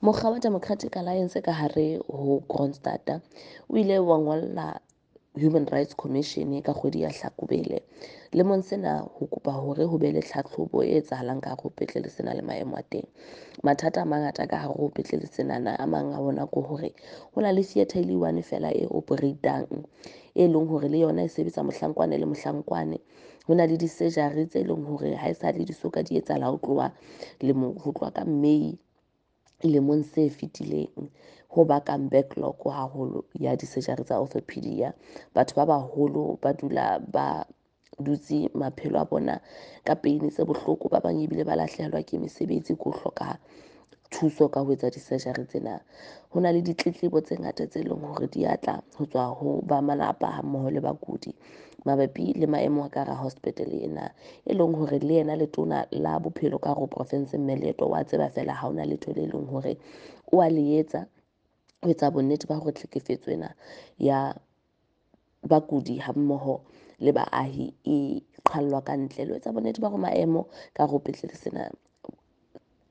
Mokga wa Democratic Alliance ka hare ho Kroonstad o ile wa ngolla Human Rights Commission ka kgwedi ya Hlakubele lemong sena ho kopa hore ho be le tlhatlhobo e etsahalang ka hare ho petlele sena le maemo a teng. Mathata a mangata ka hare ho petlele senana, a mang a ona ke hore ho na le theatre e le one fela e operate-ang, e leng hore le yona e sebetsa mohlankwane le mohlankwane. Ho na le di-surgery tse leng hore ha esale di soka di etsahala ho tloha lemong, ho tloha ka May lemong se fetileng, ho bakang backlog haholo ya di-surgery tsa orthopedia. Batho ba baholo ba dula ba dutse maphelo a bona ka pain tse bohloko, ba bang ebile ba lahlehelwa ke mesebetsi ke ho hloka thuso ka ho etsa di-surgery tsena. Ho na le ditletlebo tse ngata tse leng hore di atla ho tswa ho ba malapa ha mmoho le bakudi mabapi le maemo a ka hara hospital ena, e leng hore le yena letona la bophelo ka hare ho province mme Leeto wa tseba fela ha hona letho le leng hore o a le etsa ho etsa bonnete ba hore tlhekefetso ena ya bakudi ha mmoho le baahi e qhallwa ka ntle, le ho etsa bonnete ba hore maemo ka hare ho petlele sena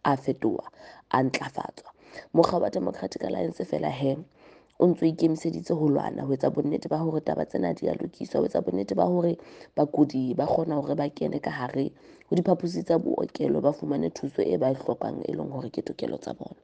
a fetoha, a ntlafatswa. Mokga wa Democratic Alliance fela he o ntso ikemiseditse ho lwana ho etsa bonnete ba hore taba tsena di a lokiswa, ho etsa bonnete ba hore bakudi ba kgona hore ba kene ka hare ho diphaposi tsa bookelo, ba fumane thuso e ba e hlokang, e leng hore ke tokelo tsa bona.